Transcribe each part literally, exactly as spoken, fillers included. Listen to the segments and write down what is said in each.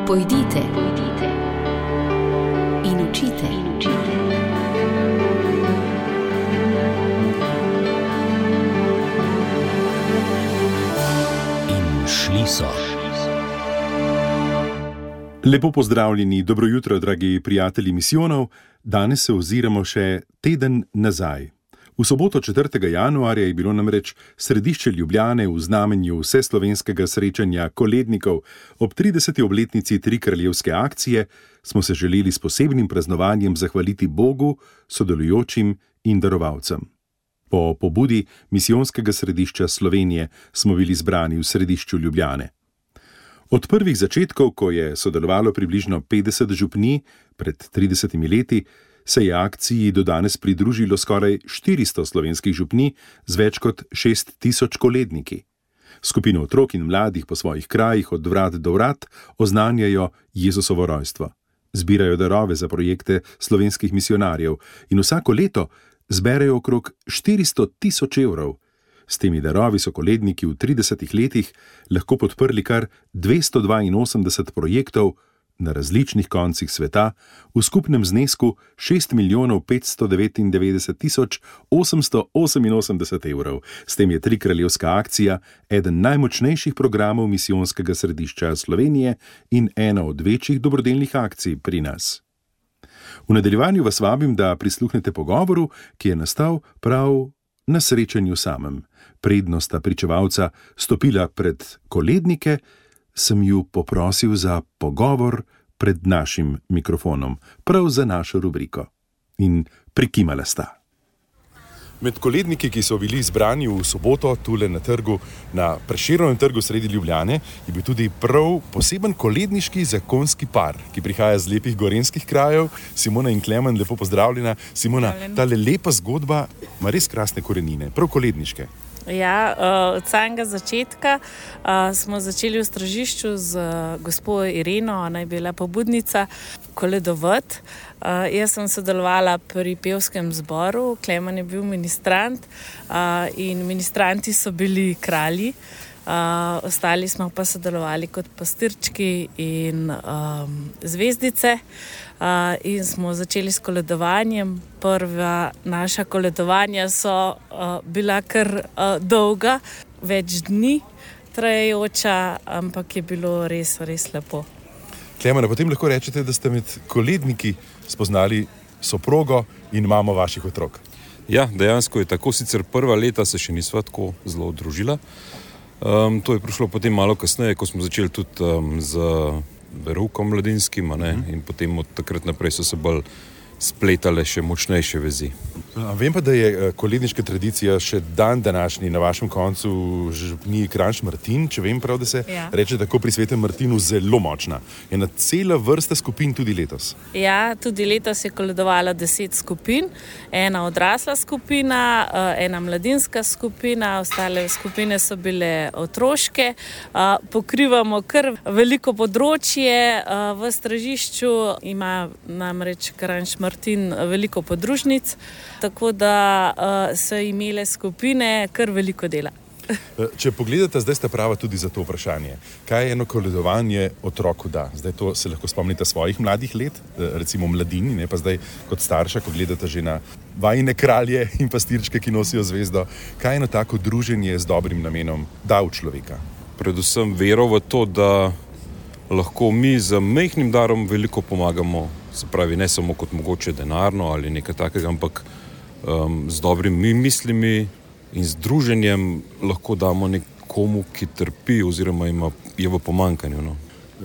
Pojdite, pojdite in učite, in učite. In šli so. Lepo pozdravljeni, dobro jutro, dragi prijatelji misijonov. Danes se oziramo še teden nazaj. V soboto četrtega januarja je bilo namreč središče Ljubljane v znamenju vseslovenskega srečanja kolednikov. Ob trideseti obletnici Trikraljevske akcije smo se želeli s posebnim praznovanjem zahvaliti Bogu, sodelujočim in darovalcem. Po pobudi misijonskega središča Slovenije smo bili zbrani v središču Ljubljane. Od prvih začetkov, ko je sodelovalo približno petdeset župnij pred tridesetimi leti, se je akciji do danes pridružilo skoraj štiristo slovenskih župnij z več kot šest tisoč koledniki. Skupino otrok in mladih po svojih krajih od vrat do vrat oznanjajo Jezusovo rojstvo. Zbirajo darove za projekte slovenskih misijonarjev in vsako leto zberejo okrog štiristo tisoč evrov. S temi darovi so koledniki v tridesetih letih lahko podprli kar dvesto dvainosemdeset projektov na različnih koncih sveta v skupnem znesku šest milijonov petsto devetindevetdeset tisoč osemsto oseminosemdeset evrov. S tem je Trikraljevska akcija eden najmočnejših programov misijonskega središča Slovenije in ena od večjih dobrodelnih akcij pri nas. V nadaljevanju vas vabim, da prisluhnete pogovoru, ki je nastal prav na srečanju samem. Predno sta pričevalca stopila pred kolednike, sem ju poprosil za pogovor pred našim mikrofonom, prav za našo rubriko. In prikimala sta. Med koledniki, ki so bili zbrani v soboto tule na trgu, na Prešernovem trgu sredi Ljubljane, je bil tudi prav poseben koledniški zakonski par, ki prihaja z lepih gorenjskih krajev. Simona in Klemen, lepo pozdravljena. Simona, tale lepa zgodba ima res krasne korenine, prav koledniške. Ja, od samega začetka smo začeli v Stražišču z gospo Ireno, ona je bila pobudnica, koledovati. Jaz sem sodelovala pri pevskem zboru, Klemen je bil ministrant in ministranti so bili kralji. Uh, ostali smo pa sodelovali kot pastirčki in um, zvezdice uh, in smo začeli s koledovanjem. Prva naša koledovanja so uh, bila kar uh, dolga, več dni trajajoča, ampak je bilo res, res lepo. Klemena, potem lahko rečete, da ste med koledniki spoznali soprogo in mamo vaših otrok. Ja, dejansko je tako, sicer prva leta se še nisva tako zelo družila. Um, to je prišlo potem malo kasneje, ko smo začeli tudi um, z veroukom mladinskim, a ne? Mm. In potem od takrat naprej so se bolj spletale še močnejše vezi. A vem pa, da je koledniška tradicija še dan današnji na vašem koncu župniji Kranj Šmartin, če vem prav, da se ja. reče tako pri Svetem Martinu, zelo močna. Je ena cela vrsta skupin tudi letos. Ja, tudi letos je koledovala deset skupin, ena odrasla skupina, ena mladinska skupina, ostale skupine so bile otroške. Pokrivamo kar veliko področje v Stražišču, ima namreč Kranj Šmartin Martin veliko podružnic, tako da uh, so imele skupine kar veliko dela. Če pogledate, zdaj ste prava tudi za to vprašanje. Kaj eno koledovanje otroku da? Zdaj to se lahko spomnite svojih mladih let, recimo mladini, ne pa zdaj kot starša, ko gledate že na vajine kralje in pastirčke, ki nosijo zvezdo. Kaj eno tako druženje z dobrim namenom da v človeka? Predvsem vero v to, da lahko mi z majhnim darom veliko pomagamo. Se pravi, ne samo kot mogoče denarno ali nekaj takega, ampak um, z dobrimi mislimi in združenjem lahko damo nekomu, ki trpi oziroma ima, je v pomanjkanju. No.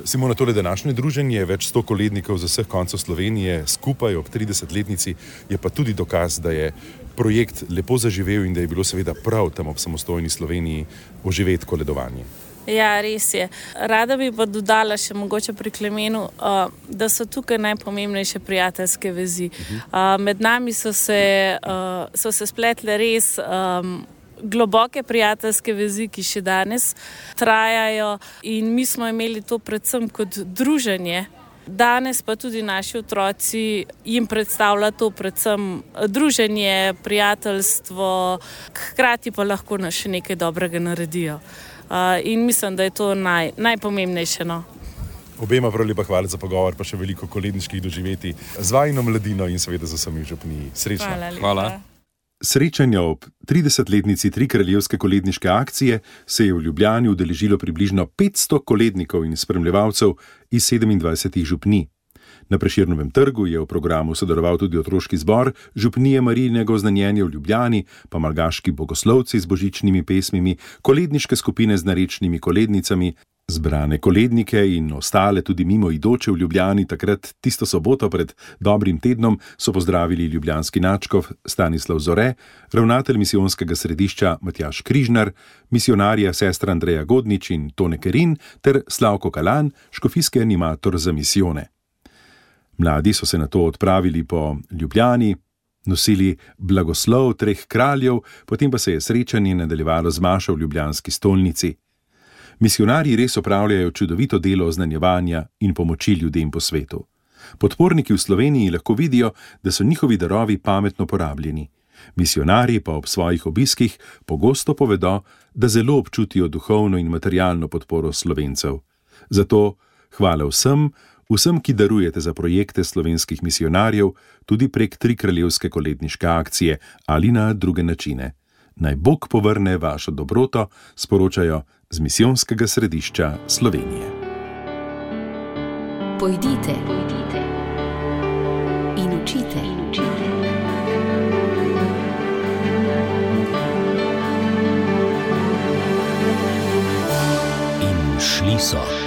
Simona, tole današnje druženje je več sto kolednikov z vseh koncev Slovenije skupaj ob tridesetletnici, je pa tudi dokaz, da je projekt lepo zaživel in da je bilo seveda prav tam ob samostojni Sloveniji oživeti koledovanje. Ja, res je. Rada bi pa dodala še mogoče pri Klemenu, uh, da so tukaj najpomembnejše prijateljske vezi. Uh, med nami so se, uh, so se spletle res um, globoke prijateljske vezi, ki še danes trajajo in mi smo imeli to predvsem kot druženje. Danes pa tudi naši otroci jim predstavlja to predvsem druženje, prijateljstvo, hkrati pa lahko nas še nekaj dobrega naredijo. Uh, in mislim, da je to naj, najpomembnejše. No. Obema prav lepa hvala za pogovor, pa še veliko koledniških doživetij z vajino mladino in seveda z vsemi v župniji. Srečno. Hvala lepa. Hvala. Srečanja ob tridesetletnici Trikraljevske koledniške akcije se je v Ljubljani udeležilo približno petsto kolednikov in spremljevalcev iz sedemindvajsetih župnij. Na Prešernovem trgu je v programu sodeloval tudi otroški zbor župnije Marijinega oznanjenja v Ljubljani, pa malgaški bogoslovci z božičnimi pesmimi, koledniške skupine z narečnimi kolednicami, zbrane kolednike in ostale tudi mimoidoče v Ljubljani takrat tisto soboto pred dobrim tednom so pozdravili ljubljanski nadškof Stanislav Zore, ravnatelj misijonskega središča Matjaž Križnar, misionarja sestra Andreja Godnič in Tone Kerin ter Slavko Kalan, škofijski animator za misijone. Mladi so se nato odpravili po Ljubljani, nosili blagoslov treh kraljev, potem pa se je srečanje nadaljevalo z mašo v ljubljanski stolnici. Misionarji res opravljajo čudovito delo oznanjevanja in pomoči ljudem po svetu. Podporniki v Sloveniji lahko vidijo, da so njihovi darovi pametno porabljeni. Misionarji pa ob svojih obiskih pogosto povedo, da zelo občutijo duhovno in materialno podporo Slovencev. Zato hvala vsem, vsem, ki darujete za projekte slovenskih misionarjev, tudi prek Trikraljevske koledniške akcije ali na druge načine. Naj Bog povrne vašo dobroto, sporočajo z misijonskega središča Slovenije. Pojdite, pojdite in učite, in učite. In šli so.